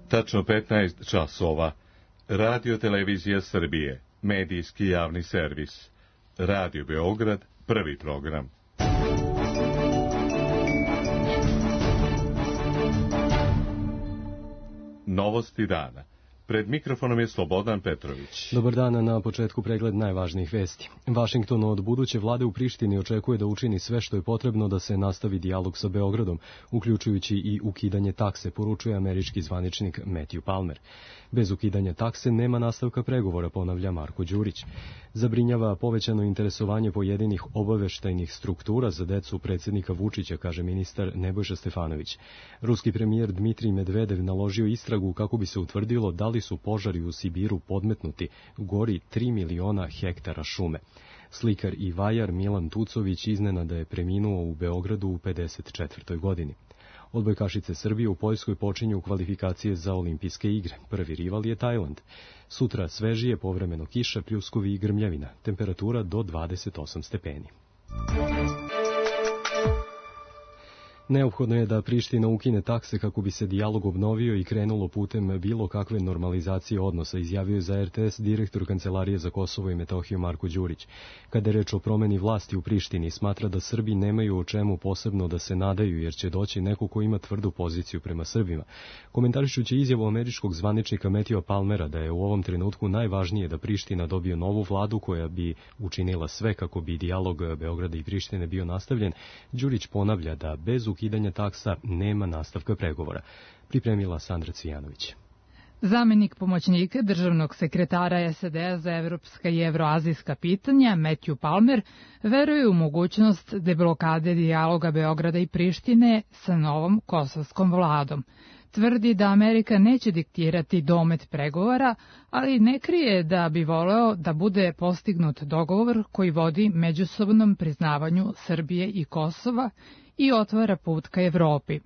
Tačno 15 časova. Radio Televizija Srbije, medijski javni servis. Radio Beograd, prvi program. Novosti dana. Pred mikrofonom je Slobodan Petrović. Dobar dan, na početku pregled najvažnijih vesti. Vašington od buduće vlade u Prištini očekuje da učini sve što je potrebno da se nastavi dijalog sa Beogradom, uključujući i ukidanje takse, poručuje američki zvaničnik Matthew Palmer. Bez ukidanja takse nema nastavka pregovora, ponavlja Marko Đurić. Zabrinjava povećano interesovanje pojedinih obaveštajnih struktura za decu predsjednika Vučića, kaže ministar Nebojša Stefanović. Ruski premijer Dmitrij Medvedev naložio istragu kako bi se utvrdilo da li su požari u Sibiru podmetnuti, gori 3 miliona hektara šume. Slikar i vajar Milan Tucović iznenada je preminuo u Beogradu u 54. godini. Odbojkašice Srbije u Poljskoj počinju kvalifikacije za olimpijske igre. Prvi rival je Tajland. Sutra svežije, povremeno kiša, pljuskovi i grmljavina. Temperatura do 28 stepeni. Neophodno je da Priština ukine takse kako bi se dijalog obnovio i krenulo putem bilo kakve normalizacije odnosa, izjavio je za RTS direktor Kancelarije za Kosovo i Metohiju Marko Đurić. Kada je reč o promeni vlasti u Prištini, smatra da Srbi nemaju o čemu posebno da se nadaju, jer će doći neko ko ima tvrdu poziciju prema Srbima. Komentarišući izjavu američkog zvaničnika Matthewa Palmera da je u ovom trenutku najvažnije da Priština dobije novu vladu koja bi učinila sve kako bi dijalog Beograda i Prištine bio nastavljen, Đurić ponavlja da bez ukidanja taksa nema nastavka pregovora. Pripremila Sandra Cvijanović. Zamenik pomoćnika državnog sekretara SAD-a za evropska i evroazijska pitanja, Matthew Palmer, veruje u mogućnost deblokade dijaloga Beograda i Prištine sa novom kosovskom vladom. Tvrdi da Amerika neće diktirati domet pregovora, ali ne krije da bi voleo da bude postignut dogovor koji vodi međusobnom priznavanju Srbije i Kosova i otvara put ka Evropi.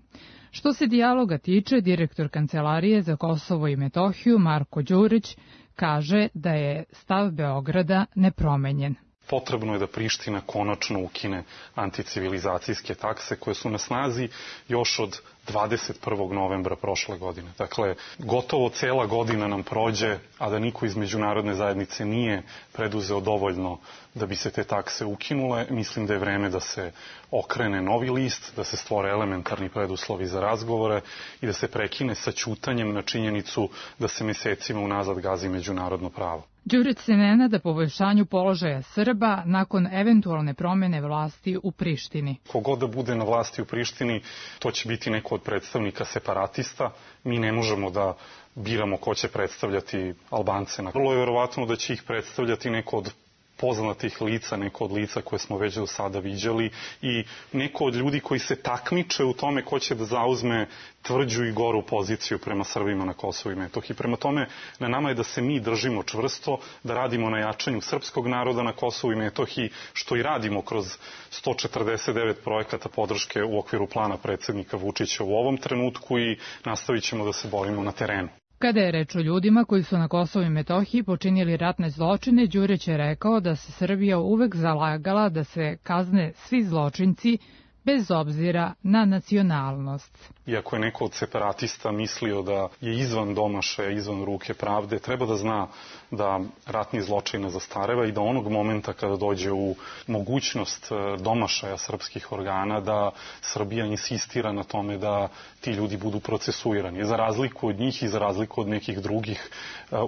Što se dijaloga tiče, direktor Kancelarije za Kosovo i Metohiju Marko Đurić kaže da je stav Beograda nepromenjen. Potrebno je da Priština konačno ukine anticivilizacijske takse koje su na snazi još od 21. novembra prošle godine. Dakle, gotovo cela godina nam prođe, a da niko iz međunarodne zajednice nije preduzeo dovoljno da bi se te takse ukinule. Mislim da je vreme da se okrene novi list, da se stvore elementarni preduslovi za razgovore i da se prekine sa ćutanjem na činjenicu da se mesecima unazad gazi međunarodno pravo. Đurić se ne nada poboljšanju položaja Srba nakon eventualne promjene vlasti u Prištini. Kogod da bude na vlasti u Prištini, to će biti neko od predstavnika separatista. Mi ne možemo da biramo ko će predstavljati Albance. Vrlo je verovatno da će ih predstavljati neko od poznatih lica, neko od lica koje smo već do sada viđali i neko od ljudi koji se takmiče u tome ko će da zauzme tvrđu i goru poziciju prema Srbima na Kosovu i Metohiji. Prema tome, na nama je da se mi držimo čvrsto, da radimo na jačanju srpskog naroda na Kosovu i Metohiji, što i radimo kroz 149 projekata podrške u okviru plana predsjednika Vučića u ovom trenutku i nastavit ćemo da se borimo na terenu. Kada je reč o ljudima koji su na Kosovu i Metohiji počinili ratne zločine, Đurić je rekao da se Srbija uvek zalagala da se kazne svi zločinci bez obzira na nacionalnost. Iako je neko od separatista mislio da je izvan domašaja, izvan ruke pravde, treba da zna da ratni zločin ne zastareva i da onog momenta kada dođe u mogućnost domašaja srpskih organa, da Srbija insistira na tome da ti ljudi budu procesuirani. Za razliku od njih i za razliku od nekih drugih,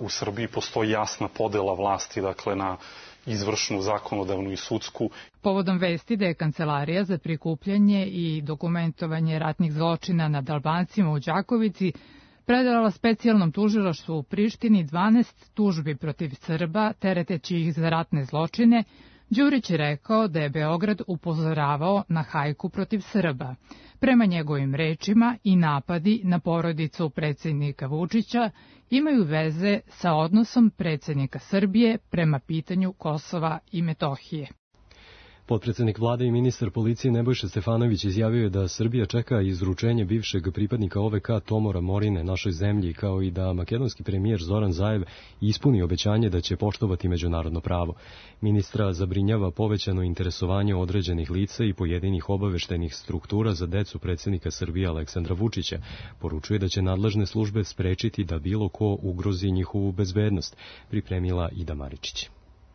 u Srbiji postoji jasna podela vlasti, dakle na izvršnu, zakonodavnu i sudsku. Povodom vesti da je Kancelarija za prikupljanje i dokumentovanje ratnih zločina nad Albancima u Đakovici predala specijalnom tužilaštvu u Prištini 12 tužbi protiv Srba, tereteći ih za ratne zločine, Đurić je rekao da je Beograd upozoravao na hajku protiv Srba. Prema njegovim rečima i napadi na porodicu predsjednika Vučića imaju veze sa odnosom predsjednika Srbije prema pitanju Kosova i Metohije. Potpredsednik vlade i ministar policije Nebojša Stefanović izjavio je da Srbija čeka izručenje bivšeg pripadnika OVK Tomora Morine našoj zemlji, kao i da makedonski premijer Zoran Zaev ispuni obećanje da će poštovati međunarodno pravo. Ministra zabrinjava povećano interesovanje određenih lica i pojedinih obaveštajnih struktura za decu predsednika Srbije Aleksandra Vučića. Poručuje da će nadležne službe sprečiti da bilo ko ugrozi njihovu bezbednost, pripremila Ida Maričić.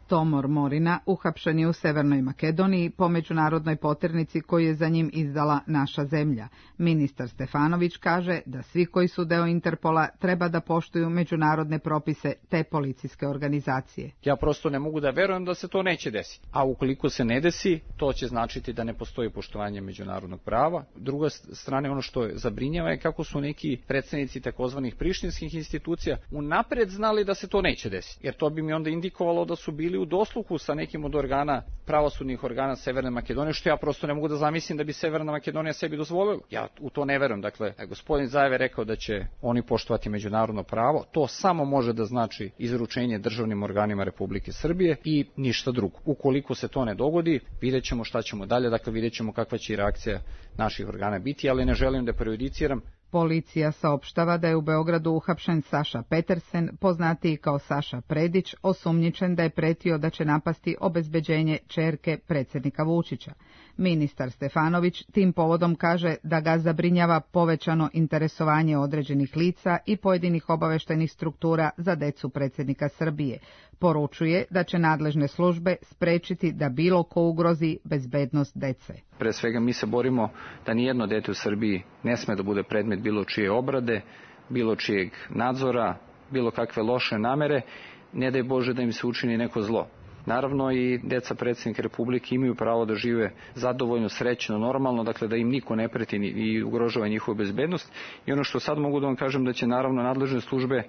Tomor Morina uhapšen je u Severnoj Makedoniji po međunarodnoj poternici koju je za njim izdala naša zemlja. Ministar Stefanović kaže da svi koji su deo Interpola treba da poštuju međunarodne propise te policijske organizacije. Ja prosto ne mogu da verujem da se to neće desiti. A ukoliko se ne desi, to će značiti da ne postoji poštovanje međunarodnog prava. Druga strana, ono što zabrinjava je kako su neki predstavnici takozvanih prištinskih institucija unapred znali da se to neće desiti. Jer to bi mi onda indikovalo da su bili u dosluhu sa nekim od organa, pravosudnih organa Severne Makedonije, što ja prosto ne mogu da zamislim da bi Severna Makedonija sebi dozvolila. Ja u to ne verujem. Dakle, gospodin Zaev je rekao da će oni poštovati međunarodno pravo. To samo može da znači izručenje državnim organima Republike Srbije i ništa drugo. Ukoliko se to ne dogodi, vidjet ćemo šta ćemo dalje, dakle vidjet ćemo kakva će i reakcija naših organa biti, ali ne želim da prejudiciram. Policija saopštava da je u Beogradu uhapšen Saša Petersen, poznatiji kao Saša Predić, osumnjičen da je pretio da će napasti obezbeđenje ćerke predsjednika Vučića. Ministar Stefanović tim povodom kaže da ga zabrinjava povećano interesovanje određenih lica i pojedinih obaveštajnih struktura za decu predsjednika Srbije. Poručuje da će nadležne službe sprečiti da bilo ko ugrozi bezbednost dece. Pre svega mi se borimo da nijedno dete u Srbiji ne sme da bude predmet bilo čije obrade, bilo čijeg nadzora, bilo kakve loše namere, ne daj Bože da im se učini neko zlo. Naravno i deca predsjednika Republike imaju pravo da žive zadovoljno, srećno, normalno, dakle da im niko ne preti i ugrožava njihovu bezbednost. I ono što sad mogu da vam kažem da će naravno nadležne službe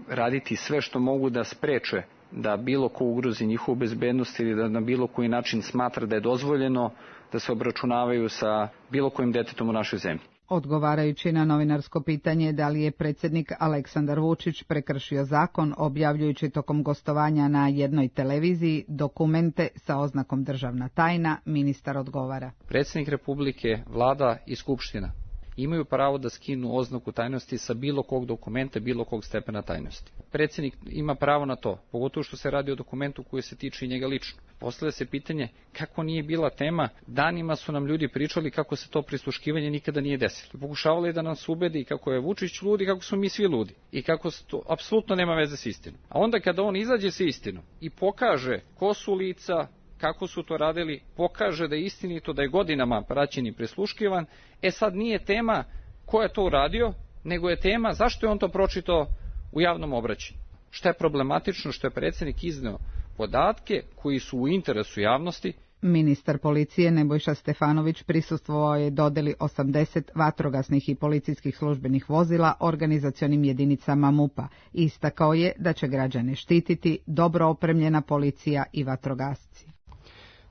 raditi sve što mogu da spreče da bilo ko ugrozi njihovu bezbednost ili da na bilo koji način smatra da je dozvoljeno da se obračunavaju sa bilo kojim detetom u našoj zemlji. Odgovarajući na novinarsko pitanje da li je predsjednik Aleksandar Vučić prekršio zakon objavljujući tokom gostovanja na jednoj televiziji dokumente sa oznakom državna tajna, ministar odgovara. Predsjednik Republike, vlada i skupština imaju pravo da skinu oznaku tajnosti sa bilo kog dokumenta, bilo kog stepena tajnosti. Predsjednik ima pravo na to, pogotovo što se radi o dokumentu koji se tiče i njega lično. Postavlja se pitanje kako nije bila tema, danima su nam ljudi pričali kako se to prisluškivanje nikada nije desilo. Pokušavali da nas ubedi kako je Vučić ludi, kako smo mi svi ludi i kako to apsolutno nema veze s istinom. A onda kada on izađe sa istinom i pokaže ko su lica, kako su to radili, pokaže da je istinito, da je godinama praćen i prisluškivan, sad nije tema ko je to uradio, nego je tema zašto je on to pročitao u javnom obraćanju. Što je problematično, što je predsjednik izneo podatke koji su u interesu javnosti. Ministar policije Nebojša Stefanović prisustvovao je dodeli 80 vatrogasnih i policijskih službenih vozila organizacionim jedinicama MUP-a. Istakao je da će građane štititi dobro opremljena policija i vatrogasci.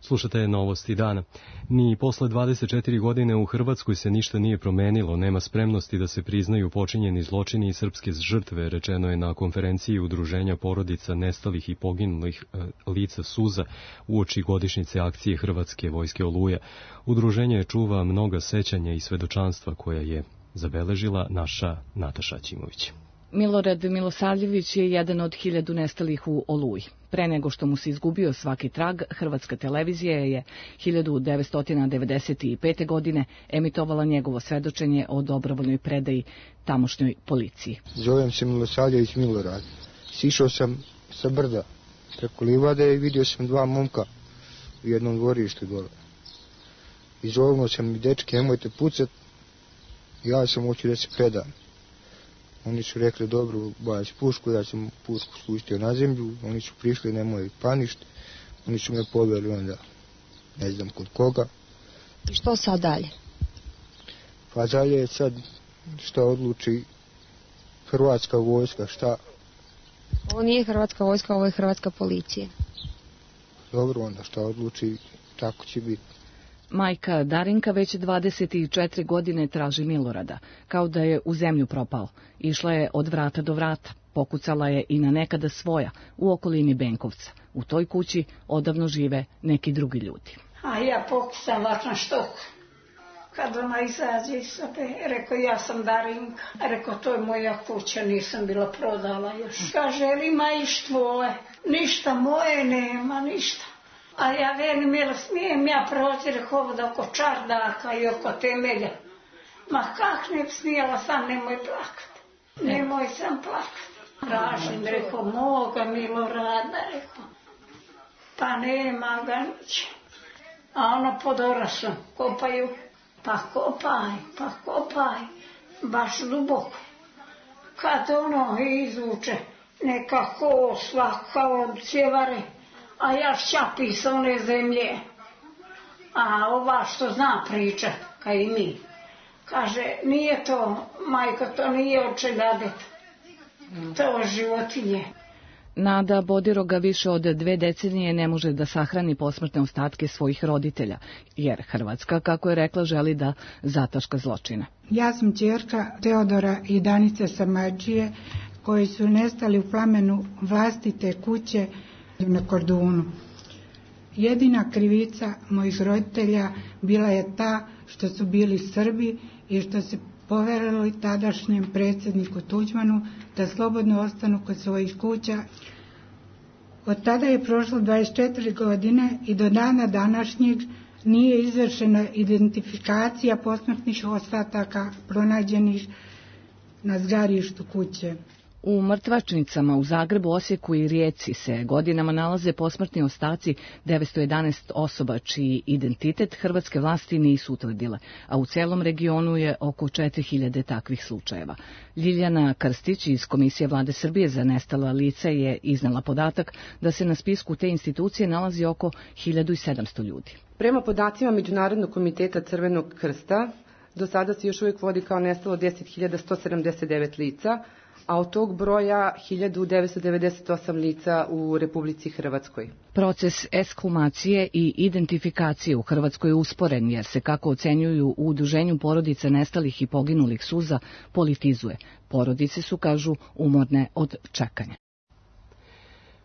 Slušate novosti dana. Ni posle 24 godine u Hrvatskoj se ništa nije promenilo, nema spremnosti da se priznaju počinjeni zločini i srpske žrtve, rečeno je na konferenciji Udruženja porodica nestalih i poginulih lica Suza uoči godišnjice akcije Hrvatske vojske Oluja. Udruženje čuva mnoga sećanja i svedočanstva koja je zabeležila naša Nataša Ćimović. Milorad Milosavljević je jedan od 1000 nestalih u Oluji. Pre nego što mu se izgubio svaki trag, Hrvatska televizija je 1995. godine emitovala njegovo svedočenje o dobrovoljnoj predaji tamošnjoj policiji. Zovem se Milosavljević Milorad. Sišao sam sa brda preko livade i vidio sam 2 momka u jednom dvorištu dole. Izovnuo sam mi, dečke, nemojte pucat, ja sam hoću da se predam. Oni su rekli, dobro, baci pušku, ja sam pušku spustio na zemlju, oni su prišli, nemoj paništ, oni su me poveli onda, ne znam kod koga. I što sad dalje? Pa dalje je sad šta odluči Hrvatska vojska, šta? Ovo nije Hrvatska vojska, ovo je Hrvatska policija. Dobro, onda šta odluči, tako će biti. Majka Darinka već 24 godine traži Milorada, kao da je u zemlju propao. Išla je od vrata do vrata, pokucala je i na nekada svoja, u okolini Benkovca. U toj kući odavno žive neki drugi ljudi. A ja pokusam vatna štok. Kad ona izađe iz sobe, rekao, ja sam Darinka. Rekao, to je moja kuća, nisam bila prodala još. Kaže, ima iš tvoje? Ništa moje nema, ništa. A ja velim, jel smijem ja proći, rekao, oko čardaka i oko temelja. Ma kak ne smijela sam, nemoj plakat. Nemoj sam plakat. Tražim, rekao, moga Milorada, rekao. Pa nema ga niće. A ona pod orasom kopaju. Pa kopaj, baš duboko. Kad ono izvuče neka kosva kao cjevare, a ja šćapi s one zemlje. A ova što zna priča, kao i mi, kaže, nije to, majko, to nije očeljadet, to životinje. Nada Bodiroga više od 2 decenije ne može da sahrani posmrtne ostatke svojih roditelja, jer Hrvatska, kako je rekla, želi da zataška zločine. Ja sam ćerka Teodora i Danice Samardžije, koji su nestali u plamenu vlastite kuće na Kordunu. Jedina krivica mojih roditelja bila je ta što su bili Srbi i što se poverili tadašnjem predsjedniku Tuđmanu da slobodno ostanu kod svojih kuća. Od tada je prošlo 24 godine i do dana današnjeg nije izvršena identifikacija posmrtnih ostataka pronađenih na zgarištu kuće. U mrtvačnicama u Zagrebu, Osijeku i Rijeci se godinama nalaze posmrtni ostaci 911 osoba čiji identitet hrvatske vlasti nisu utvrdile, a u celom regionu je oko 4000 takvih slučajeva. Ljiljana Krstić iz Komisije Vlade Srbije za nestala lica je iznela podatak da se na spisku te institucije nalazi oko 1700 ljudi. Prema podacima Međunarodnog komiteta Crvenog krsta, do sada se još uvijek vodi kao nestalo 10.179 lica, a od tog broja 1998 lica u Republici Hrvatskoj. Proces ekshumacije i identifikacije u Hrvatskoj je usporen, jer se, kako ocenjuju u Udruženju porodica nestalih i poginulih suza, politizuje. Porodice su, kažu, umorne od čekanja.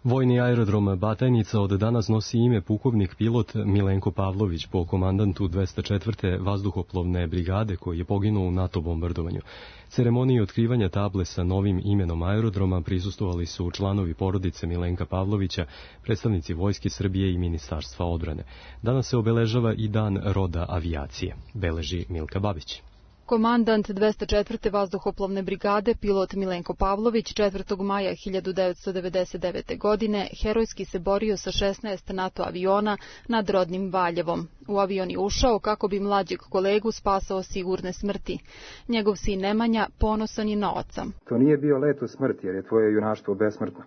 Vojni aerodrom Batajnica od danas nosi ime pukovnik pilot Milenko Pavlović po komandantu 204. vazduhoplovne brigade koji je poginuo u NATO bombardovanju. Ceremoniji otkrivanja table sa novim imenom aerodroma prisustvovali su članovi porodice Milenka Pavlovića, predstavnici Vojske Srbije i Ministarstva odbrane. Danas se obeležava i dan roda avijacije, beleži Milka Babić. Komandant 204. vazduhoplovne brigade, pilot Milenko Pavlović, 4. maja 1999. godine herojski se borio sa 16 NATO aviona nad rodnim Valjevom. U avion je ušao kako bi mlađeg kolegu spasao sigurne smrti. Njegov sin Nemanja ponosan je na oca. To nije bio let u smrti, jer je tvoje junaštvo besmrtno.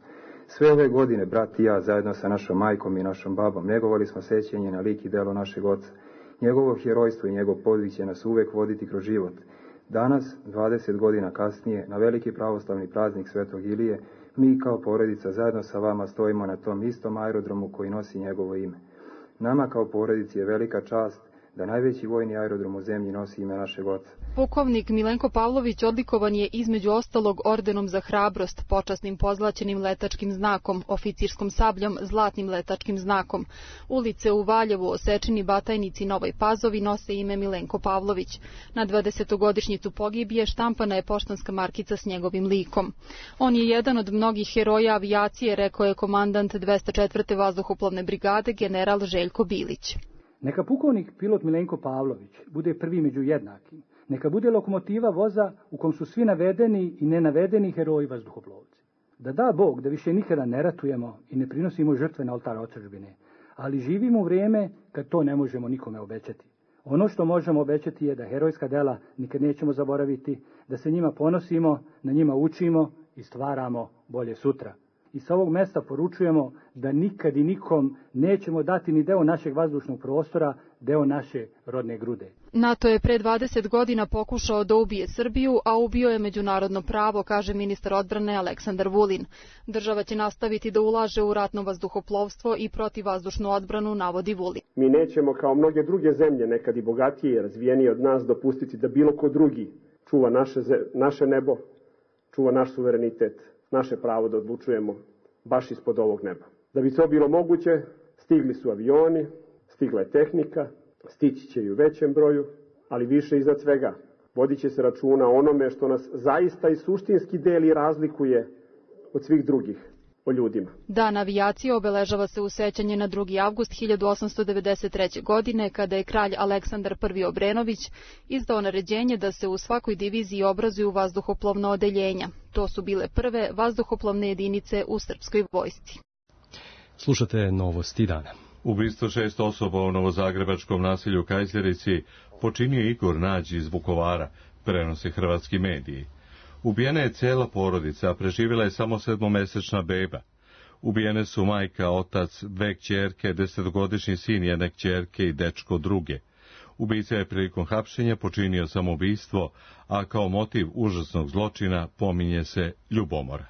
Sve ove godine, brat i ja, zajedno sa našom majkom i našom babom, negovali smo sećanje na lik i delo našeg oca. Njegovo herojstvo i njegov podvig će nas uvek voditi kroz život. Danas, 20 godina kasnije, na veliki pravoslavni praznik Svetog Ilije, mi kao porodica zajedno sa vama stojimo na tom istom aerodromu koji nosi njegovo ime. Nama kao porodici je velika čast da najveći vojni aerodrom u zemlji nosi ime našeg oca. Pukovnik Milenko Pavlović odlikovan je između ostalog ordenom za hrabrost, počasnim pozlaćenim letačkim znakom, oficirskom sabljom, zlatnim letačkim znakom. Ulice u Valjevu, Osečini, Batajnici, Novoj Pazovi nose ime Milenko Pavlović. Na 20-godišnjicu pogibije štampana je poštanska markica s njegovim likom. On je jedan od mnogih heroja avijacije, rekao je komandant 204. vazduhoplovne brigade general Željko Bilić. Neka pukovnik pilot Milenko Pavlović bude prvi među jednakim. Neka bude lokomotiva voza u kom su svi navedeni i nenavedeni heroji vazduhoplovci. Da Bog da više nikada ne ratujemo i ne prinosimo žrtve na oltar otadžbine, ali živimo u vrijeme kad to ne možemo nikome obećati. Ono što možemo obećati je da herojska dela nikad nećemo zaboraviti, da se njima ponosimo, na njima učimo i stvaramo bolje sutra. I sa ovog mesta poručujemo da nikad i nikom nećemo dati ni deo našeg vazdušnog prostora, deo naše rodne grude. NATO je pre 20 godina pokušao da ubije Srbiju, a ubio je međunarodno pravo, kaže ministar odbrane Aleksandar Vulin. Država će nastaviti da ulaže u ratno vazduhoplovstvo i protivvazdušnu odbranu, navodi Vulin. Mi nećemo kao mnoge druge zemlje, nekad i bogatije i razvijenije od nas, dopustiti da bilo ko drugi čuva naše nebo, čuva naš suverenitet, naše pravo da odlučujemo baš ispod ovog neba. Da bi to bilo moguće, stigli su avioni, Stigla je tehnika, stići će i u većem broju, ali više iznad svega. Vodit će se računa o onome što nas zaista i suštinski deli i razlikuje od svih drugih, o ljudima. Dan avijacije obeležava se u sećanje na 2. avgust 1893. godine, kada je kralj Aleksandar I. Obrenović izdao naređenje da se u svakoj diviziji obrazuju vazduhoplovna odeljenja. To su bile prve vazduhoplovne jedinice u srpskoj vojsci. Slušate Novosti dana. Ubistvo 6 osoba u novozagrebačkom naselju Kajzerici počinio Igor Nađ iz Vukovara, prenose hrvatski mediji. Ubijena je cela porodica, a preživjela je samo 7-mesečna beba. Ubijene su majka, otac, 2 kćerke, 10-godišnji sin jedne kćerke i dečko druge. Ubica je prilikom hapšenja počinio samoubistvo, a kao motiv užasnog zločina pominje se ljubomora.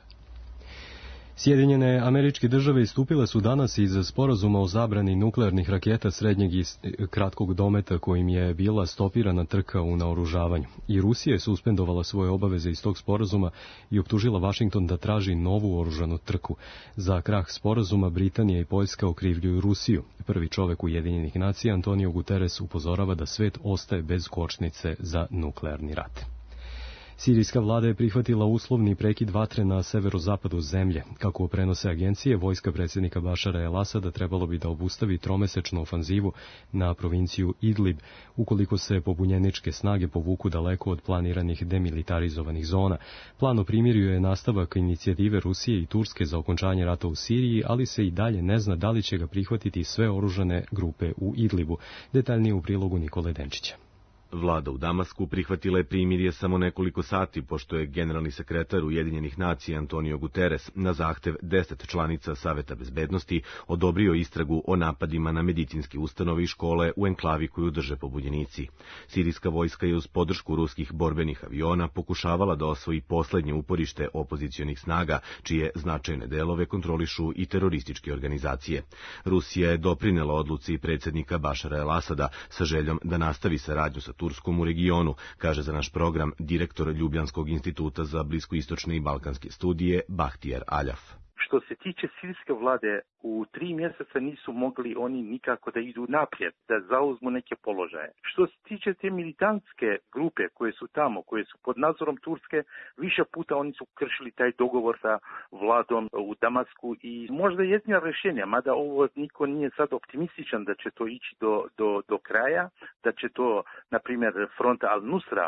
Sjedinjene Američke Države istupile su danas iz sporazuma o zabrani nuklearnih raketa srednjeg i kratkog dometa kojim je bila stopirana trka u naoružavanju. I Rusija je suspendovala svoje obaveze iz tog sporazuma i optužila Vašington da traži novu oružanu trku. Za krah sporazuma Britanija i Poljska okrivljuju Rusiju. Prvi čovek Ujedinjenih nacija, Antonio Guterres, upozorava da svet ostaje bez kočnice za nuklearni rat. Sirijska vlada je prihvatila uslovni prekid vatre na severozapadu zemlje. Kako prenose agencije, vojska predsjednika Bašara el-Asada trebalo bi da obustavi 3-mesečnu ofanzivu na provinciju Idlib, ukoliko se pobunjeničke snage povuku daleko od planiranih demilitarizovanih zona. Plan o primirju je nastavak inicijative Rusije i Turske za okončanje rata u Siriji, ali se i dalje ne zna da li će ga prihvatiti sve oružane grupe u Idlibu. Detaljnije u prilogu Nikole Denčića. Vlada u Damasku prihvatila je primirje samo nekoliko sati, pošto je generalni sekretar Ujedinjenih nacija Antonio Guterres na zahtev 10 članica Saveta bezbednosti odobrio istragu o napadima na medicinske ustanove i škole u enklavi koju drže pobunjenici. Sirijska vojska je uz podršku ruskih borbenih aviona pokušavala da osvoji poslednje uporište opozicionih snaga, čije značajne delove kontrolišu i terorističke organizacije. Rusija je doprinela odluci predsjednika Bašara el-Asada sa željom da nastavi saradnju sa Turskom u regionu, kaže za naš program direktor Ljubljanskog instituta za bliskoistočne i balkanske studije Bahtijar Aljaf. Što se tiče sirijske vlade, u 3 mjeseca nisu mogli oni nikako da idu naprijed, da zauzmu neke položaje. Što se tiče te militantske grupe koje su tamo, koje su pod nadzorom Turske, više puta oni su kršili taj dogovor sa vladom u Damasku i možda jedino rješenje, mada ovo niko nije sad optimističan da će to ići do kraja, da će to, na primjer, front Al-Nusra,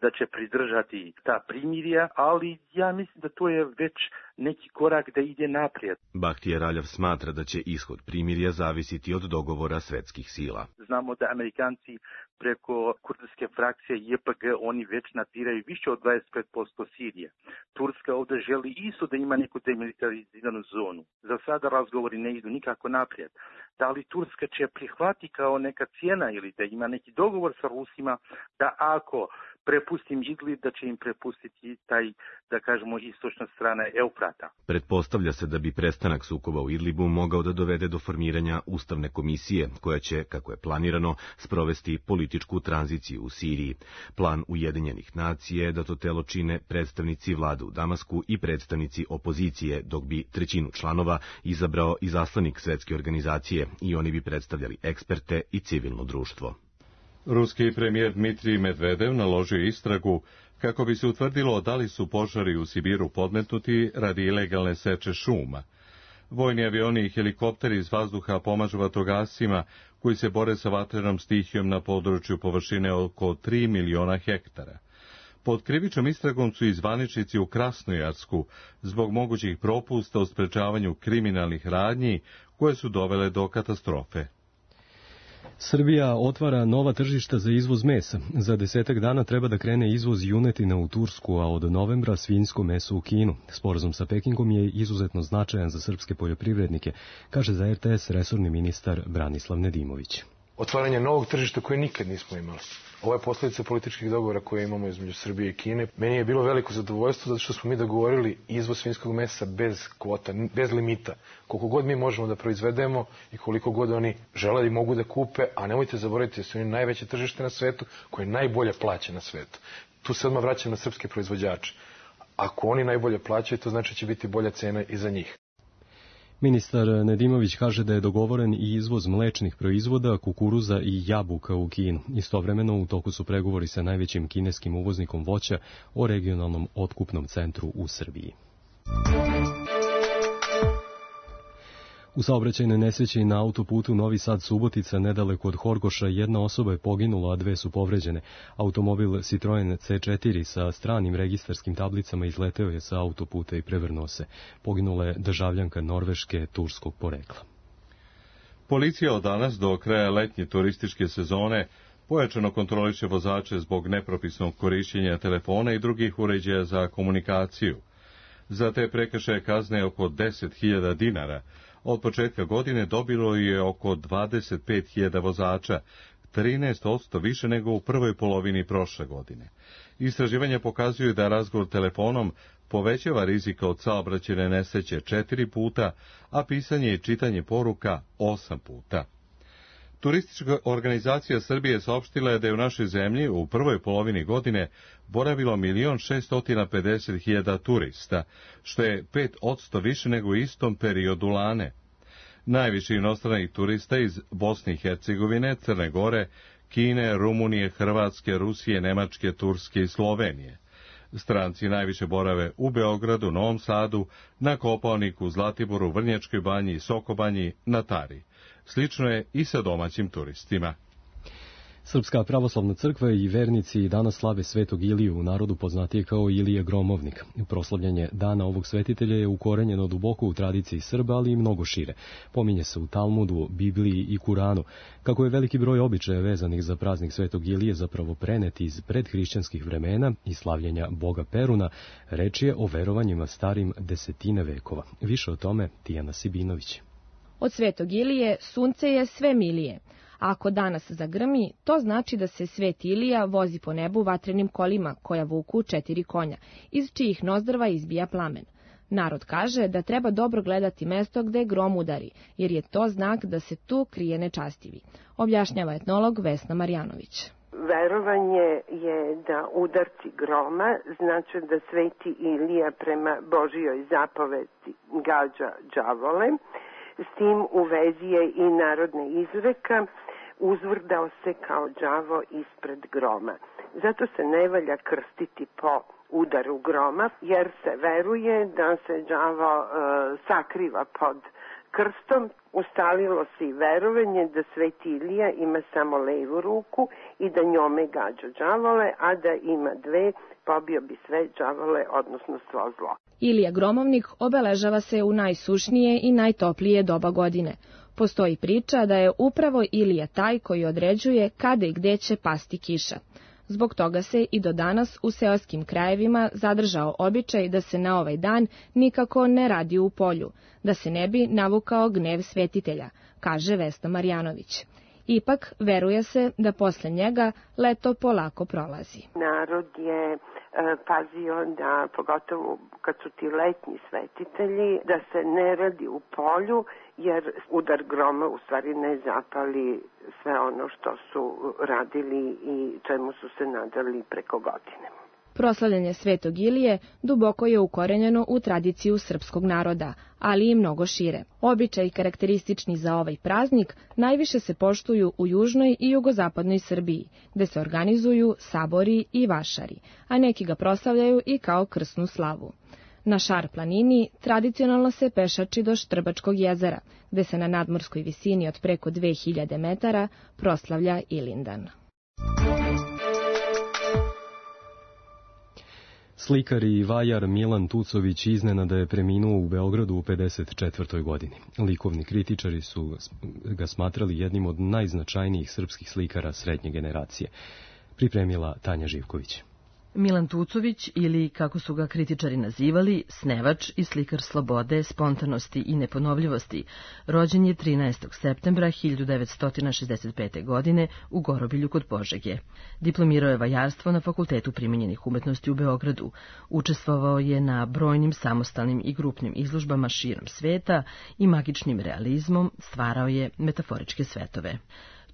da će pridržati ta primirja, ali ja mislim da to je već neki korak da ide naprijed. Bahtijar Aljav smatra da će ishod primirja zavisiti od dogovora svetskih sila. Znamo da Amerikanci preko kurdske frakcije JPG oni već nadziraju više od 25% Sirije. Turska ovdje želi isto da ima neku demilitariziranu zonu. Za sada razgovori ne idu nikako naprijed. Da li Turska će prihvati kao neka cijena ili da ima neki dogovor sa Rusima da ako prepustim Idlib, da će im prepustiti taj, da kažemo, istočna strana Eufrata. Pretpostavlja se da bi prestanak sukoba u Idlibu mogao da dovede do formiranja ustavne komisije, koja će, kako je planirano, sprovesti političku tranziciju u Siriji. Plan Ujedinjenih nacija je da to telo čine predstavnici vlade u Damasku i predstavnici opozicije, dok bi 1/3 članova izabrao izaslanik svetske organizacije i oni bi predstavljali eksperte i civilno društvo. Ruski premijer Dmitrij Medvedev naložio istragu kako bi se utvrdilo da li su požari u Sibiru podmetnuti radi ilegalne seče šuma. Vojni avioni i helikopteri iz vazduha pomažu vatrogascima koji se bore sa vatrenom stihijom na području površine oko 3 miliona hektara. Pod krivičnom istragom su i zvaničnici u Krasnojarsku zbog mogućih propusta u sprečavanju kriminalnih radnji koje su dovele do katastrofe. Srbija otvara nova tržišta za izvoz mesa. Za 10 dana treba da krene izvoz junetina u Tursku, a od novembra svinjsko meso u Kinu. Sporazum sa Pekingom je izuzetno značajan za srpske poljoprivrednike, kaže za RTS resorni ministar Branislav Nedimović. Otvaranje novog tržišta koje nikad nismo imali. Ovo je posljedica političkih dogovora koje imamo između Srbije i Kine. Meni je bilo veliko zadovoljstvo zato što smo mi dogovorili izvoz svinjskog mesa bez kvota, bez limita. Koliko god mi možemo da proizvedemo i koliko god oni žele i mogu da kupe, a nemojte zaboraviti da su oni najveće tržište na svetu koje najbolje plaća na svetu. Tu se odmah vraćam na srpske proizvođače. Ako oni najbolje plaćaju, to znači da će biti bolja cena i za njih. Ministar Nedimović kaže da je dogovoren i izvoz mlečnih proizvoda, kukuruza i jabuka u Kinu. Istovremeno u toku su pregovori sa najvećim kineskim uvoznikom voća o regionalnom otkupnom centru u Srbiji. U saobraćajnoj nesreći na autoputu Novi Sad-Subotica, nedaleko od Horgoša, jedna osoba je poginula, a dve su povređene. Automobil Citroen C4 sa stranim registarskim tablicama izleteo je sa autoputa i prevrnuo se. Poginula je državljanka Norveške turskog porekla. Policija od danas do kraja letnje turističke sezone pojačano kontroliše vozače zbog nepropisnog korišćenja telefona i drugih uređaja za komunikaciju. Za te prekršaje kazne oko 10.000 dinara. Od početka godine dobilo je oko 25.000 vozača, 13% više nego u prvoj polovini prošle godine. Istraživanja pokazuju da razgovor telefonom povećava rizika od saobraćajne nesreće 4 puta, a pisanje i čitanje poruka 8 puta. Turistička organizacija Srbije saopštila je da je u našoj zemlji u prvoj polovini godine boravilo 1.650.000 turista, što je 5% više nego u istom periodu lane. Najviše inostranih turista iz Bosne i Hercegovine, Crne Gore, Kine, Rumunije, Hrvatske, Rusije, Nemačke, Turske i Slovenije. Stranci najviše borave u Beogradu, Novom Sadu, na Kopaoniku, Zlatiboru, Vrnjačkoj banji i Sokobanji, na Tari. Slično je i sa domaćim turistima. Srpska pravoslavna crkva i vernici danas slave Svetog Iliju, u narodu poznatije kao Ilija Gromovnik. Proslavljanje dana ovog svetitelja je ukorenjeno duboko u tradiciji Srba, ali i mnogo šire. Pominje se u Talmudu, Bibliji i Kuranu. Kako je veliki broj običaja vezanih za praznik Svetog Ilije zapravo prenet iz predhrišćanskih vremena i slavljenja Boga Peruna, reč je o verovanjima starim desetine vekova. Više o tome Tijana Sibinović. Od Svetog Ilije sunce je sve milije. Ako danas zagrmi, to znači da se Svet Ilija vozi po nebu vatrenim kolima koja vuku 4 konja, iz čijih nozdrva izbija plamen. Narod kaže da treba dobro gledati mesto gde grom udari, jer je to znak da se tu krije nečastivi, objašnjava etnolog Vesna Marjanović. Verovanje je da udarci groma znači da Sveti Ilija prema Božijoj zapovesti gađa đavole. S tim u vezi je i narodna izreka uzvrdao se kao đavo ispred groma. Zato se ne valja krstiti po udaru groma, jer se veruje da se đavo sakriva pod krstom. Ustalilo se i verovanje da Sveti Ilija ima samo levu ruku i da njome gađa đavole, a da ima dve, pobio bi sve đavole, odnosno svo zlo. Ilija Gromovnik obeležava se u najsušnije i najtoplije doba godine. Postoji priča da je upravo Ilija taj koji određuje kada i gde će pasti kiša. Zbog toga se i do danas u seoskim krajevima zadržao običaj da se na ovaj dan nikako ne radi u polju, da se ne bi navukao gnev svetitelja, kaže Vesna Marjanović. Ipak, veruje se da posle njega leto polako prolazi. Narod je pazio da, pogotovo kad su ti letnji svetitelji, da se ne radi u polju, jer udar groma u stvari ne zapali sve ono što su radili i čemu su se nadali preko godine. Proslavljanje Svetog Ilije duboko je ukorenjeno u tradiciju srpskog naroda, ali i mnogo šire. Običaji karakteristični za ovaj praznik najviše se poštuju u južnoj i jugozapadnoj Srbiji, gde se organizuju sabori i vašari, a neki ga proslavljaju i kao krsnu slavu. Na Šar planini tradicionalno se pešači do Štrbačkog jezera, gde se na nadmorskoj visini od preko 2000 metara proslavlja Ilindan. Slikar i vajar Milan Tucović iznenada je preminuo u Beogradu u 54. godini. Likovni kritičari su ga smatrali jednim od najznačajnijih srpskih slikara srednje generacije. Pripremila Tanja Živković. Milan Tucović, ili kako su ga kritičari nazivali, snevač i slikar slobode, spontanosti i neponovljivosti, rođen je 13. septembra 1965. godine u Gorobilju kod Požege. Diplomirao je vajarstvo na Fakultetu primenjenih umetnosti u Beogradu. Učestvovao je na brojnim samostalnim i grupnim izložbama širom sveta i magičnim realizmom stvarao je metaforičke svetove.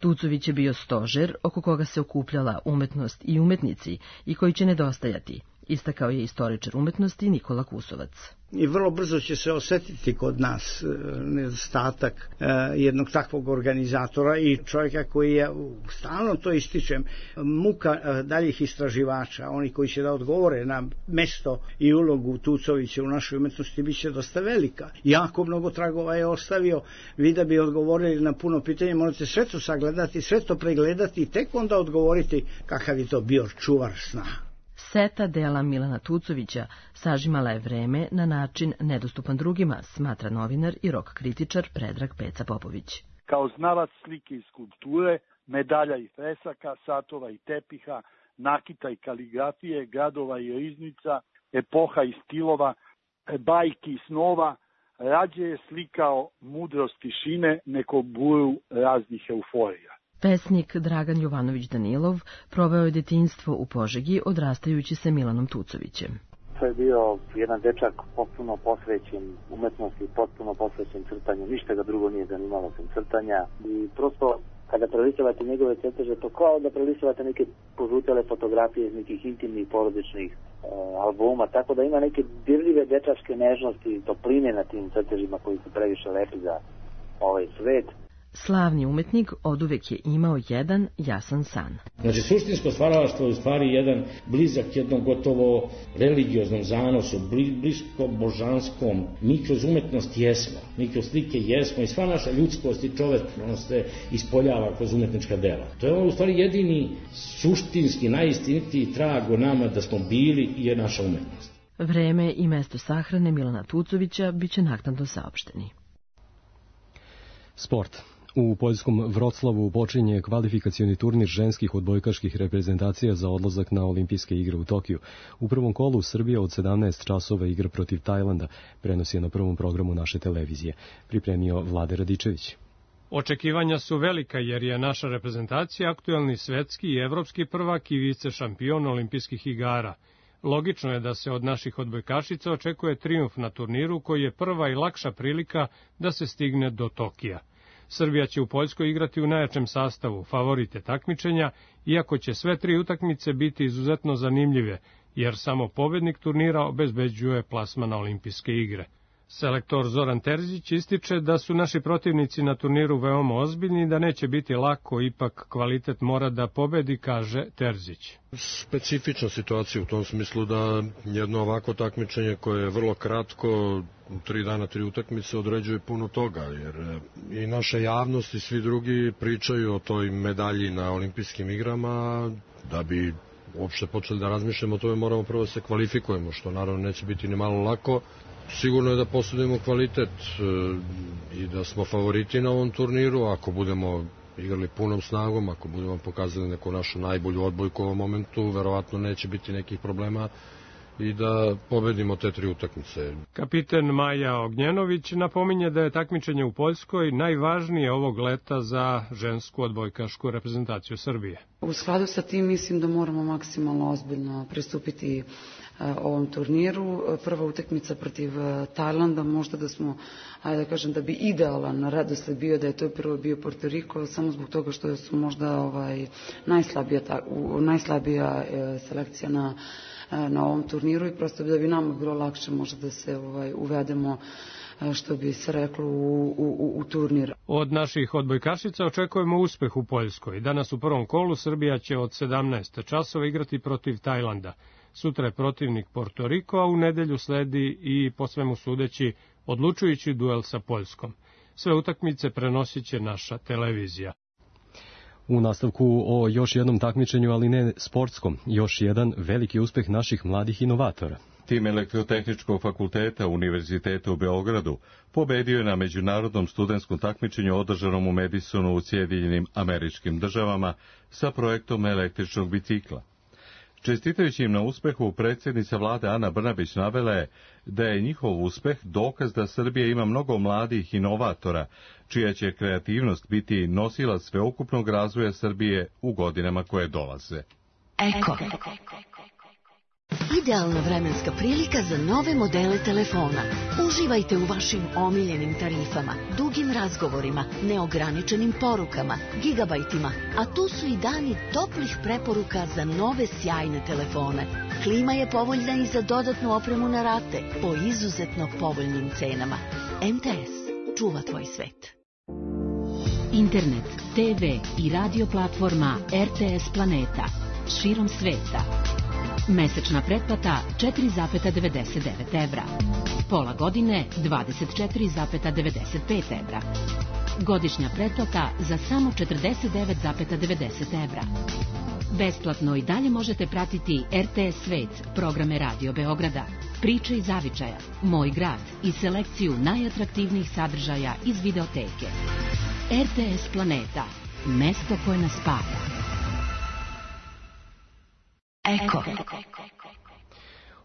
Tucović je bio stožer oko koga se okupljala umetnost i umetnici i koji će nedostajati, istakao je istoričar umetnosti Nikola Kusovac. I vrlo brzo će se osetiti kod nas nedostatak jednog takvog organizatora i čovjeka koji je, stalno to ističem, muka daljih istraživača, oni koji će da odgovore na mesto i ulogu Tucovića u našoj umetnosti bit će dosta velika. Jako mnogo tragova je ostavio, vi da bi odgovorili na puno pitanja morate sve to sagledati, sve to pregledati i tek onda odgovoriti kakav je to bio čuvar sna. Seta dela Milana Tucovića sažimala je vreme na način nedostupan drugima, smatra novinar i rok kritičar Predrag Peca Popović. Kao znalac slike i skulpture, medalja i fresaka, satova i tepiha, nakita i kaligrafije, gradova i riznica, epoha i stilova, bajki i snova, rađe je slikao mudrost tišine nego buru raznih euforija. Pesnik Dragan Jovanović Danilov proveo je detinjstvo u Požegi odrastajući se Milanom Tucovićem. To je bio jedan dečak potpuno posvećen umetnosti, potpuno posvećen crtanju. Ništa ga drugo nije zanimalo sem crtanja. I prosto kada prelistavate njegove crteže, to kao da prelistavate neke požutele fotografije iz nekih intimnih porodičnih albuma. Tako da ima neke dirljive dečačke nežnosti i topline na tim crtežima koji su previše lepi za ovaj svet. Slavni umetnik oduvek je imao jedan jasan san. Znači, suštinsko stvaralaštvo je u stvari jedan blizak jednom gotovo religioznom zanosu, blisko božanskom. Mi kroz umetnost jesmo, mi kroz slike jesmo i sva naša ljudskost i čovečnost se ispoljava kroz umetnička dela. To je u stvari jedini suštinski, najistinitiji trag o nama da smo bili i je naša umetnost. Vreme i mesto sahrane Milana Tucovića biće naknadno saopšteni. Sport. U poljskom Vroclavu počinje kvalifikacioni turnir ženskih odbojkaških reprezentacija za odlazak na olimpijske igre u Tokiju. U prvom kolu Srbija od 17 časova igra protiv Tajlanda, prenosi je na prvom programu naše televizije. Pripremio Vlade Radičević. Očekivanja su velika jer je naša reprezentacija aktuelni svetski i evropski prvak i vice šampion olimpijskih igara. Logično je da se od naših odbojkašica očekuje trijumf na turniru koji je prva i lakša prilika da se stigne do Tokija. Srbija će u Poljskoj igrati u najjačem sastavu, favorite takmičenja, iako će sve tri utakmice biti izuzetno zanimljive, jer samo pobednik turnira obezbeđuje plasman na olimpijske igre. Selektor Zoran Terzić ističe da su naši protivnici na turniru veoma ozbiljni i da neće biti lako, ipak kvalitet mora da pobedi, kaže Terzić. Specifična situacija u tom smislu da jedno ovako takmičenje koje je vrlo kratko, 3 dana 3 utakmice, određuje puno toga, jer i naša javnost i svi drugi pričaju o toj medalji na olimpijskim igrama. Da bi uopšte počeli da razmišljamo o tome, moramo prvo se kvalifikujemo, što naravno neće biti ni malo lako. Sigurno je da posjedujemo kvalitet i da smo favoriti na ovom turniru. Ako budemo igrali punom snagom, ako budemo pokazali neku našu najbolju odbojku u ovom momentu, verovatno neće biti nekih problema i da pobedimo te 3 utakmice. Kapiten Maja Ognjenović napominje da je takmičenje u Poljskoj najvažnije ovog leta za žensku odbojkašku reprezentaciju Srbije. U skladu sa tim mislim da moramo maksimalno ozbiljno pristupiti ovom turniru. Prva utakmica protiv Tajlanda, možda da smo, da kažem, da bi idealan redosled bio da je to prvo bio Porto Riko, samo zbog toga što su možda najslabija selekcija na ovom turniru i prosto da bi nama bilo lakše možda da se uvedemo, što bi se reklo, u turnir. Od naših odbojkašica očekujemo uspeh u Poljskoj. Danas u prvom kolu Srbija će od 17 časova igrati protiv Tajlanda. Sutra je protivnik Porto Riko, a u nedelju sledi i, po svemu sudeći, odlučujući duel sa Poljskom. Sve utakmice prenosit će naša televizija. U nastavku o još jednom takmičenju, ali ne sportskom, još jedan veliki uspeh naših mladih inovatora. Tim Elektrotehničkog fakulteta Univerziteta u Beogradu pobedio je na međunarodnom studentskom takmičenju održanom u Madisonu u Sjedinjenim Američkim Državama sa projektom električnog bicikla. Čestitajući im na uspehu, predsjednica vlade Ana Brnabić navela je da je njihov uspeh dokaz da Srbija ima mnogo mladih inovatora, čija će kreativnost biti nosilac sveukupnog razvoja Srbije u godinama koje dolaze. Eko. idealna vremenska prilika za nove modele telefona. Uživajte u vašim omiljenim tarifama, dugim razgovorima, neograničenim porukama, gigabajtima, a tu su i dani toplih preporuka za nove sjajne telefone. Klima je povoljna i za dodatnu opremu na rate po izuzetno povoljnim cenama. MTS. Čuva tvoj svet. Internet, TV i radio platforma RTS Planeta. Širom sveta. Mesečna pretplata 4,99 evra. Pola godine 24,95 evra. Godišnja pretplata za samo 49,90 evra. Besplatno i dalje možete pratiti RTS Svet, programe Radio Beograda, priče iz zavičaja, Moj grad i selekciju najatraktivnijih sadržaja iz videoteke. RTS Planeta, mesto koje nas spaja. Eko.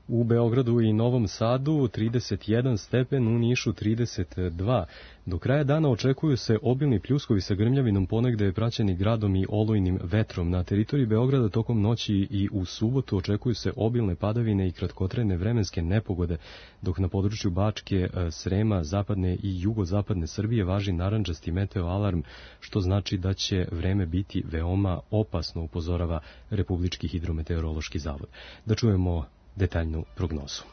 U Beogradu i Novom Sadu 31 stepen, u Nišu 32. Do kraja dana očekuju se obilni pljuskovi sa grmljavinom, ponegde praćeni gradom i olujnim vetrom. Na teritoriji Beograda tokom noći i u subotu očekuju se obilne padavine i kratkotrajne vremenske nepogode, dok na području Bačke, Srema, zapadne i jugozapadne Srbije važi narandžasti meteo alarm, što znači da će vreme biti veoma opasno, upozorava Republički hidrometeorološki zavod. Da čujemo detaljnu prognozu.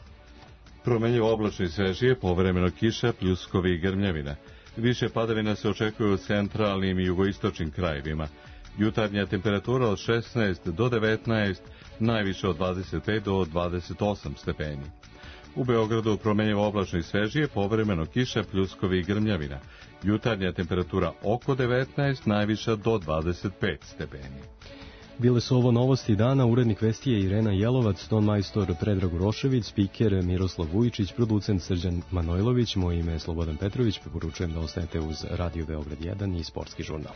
Promenljivo oblačno i svežije, povremeno kiša, pljuskovi i grmljavina. Više padavina se očekuje u centralnim i jugoistočnim krajevima. Jutarnja temperatura od 16 do 19, najviše od 25 do 28 stepeni. U Beogradu promenljivo oblačno i svežije, povremeno kiša, pljuskovi i grmljavina. Jutarnja temperatura oko 19, najviša do 25 stepeni. Bile su ovo novosti dana, urednik vesti je Irena Jelovac, ton majstor Predrag Urošević, spiker Miroslav Vujičić, producent Srđan Manojlović, moje ime je Slobodan Petrović, preporučujem da ostanete uz Radio Beograd 1 i Sportski žurnal.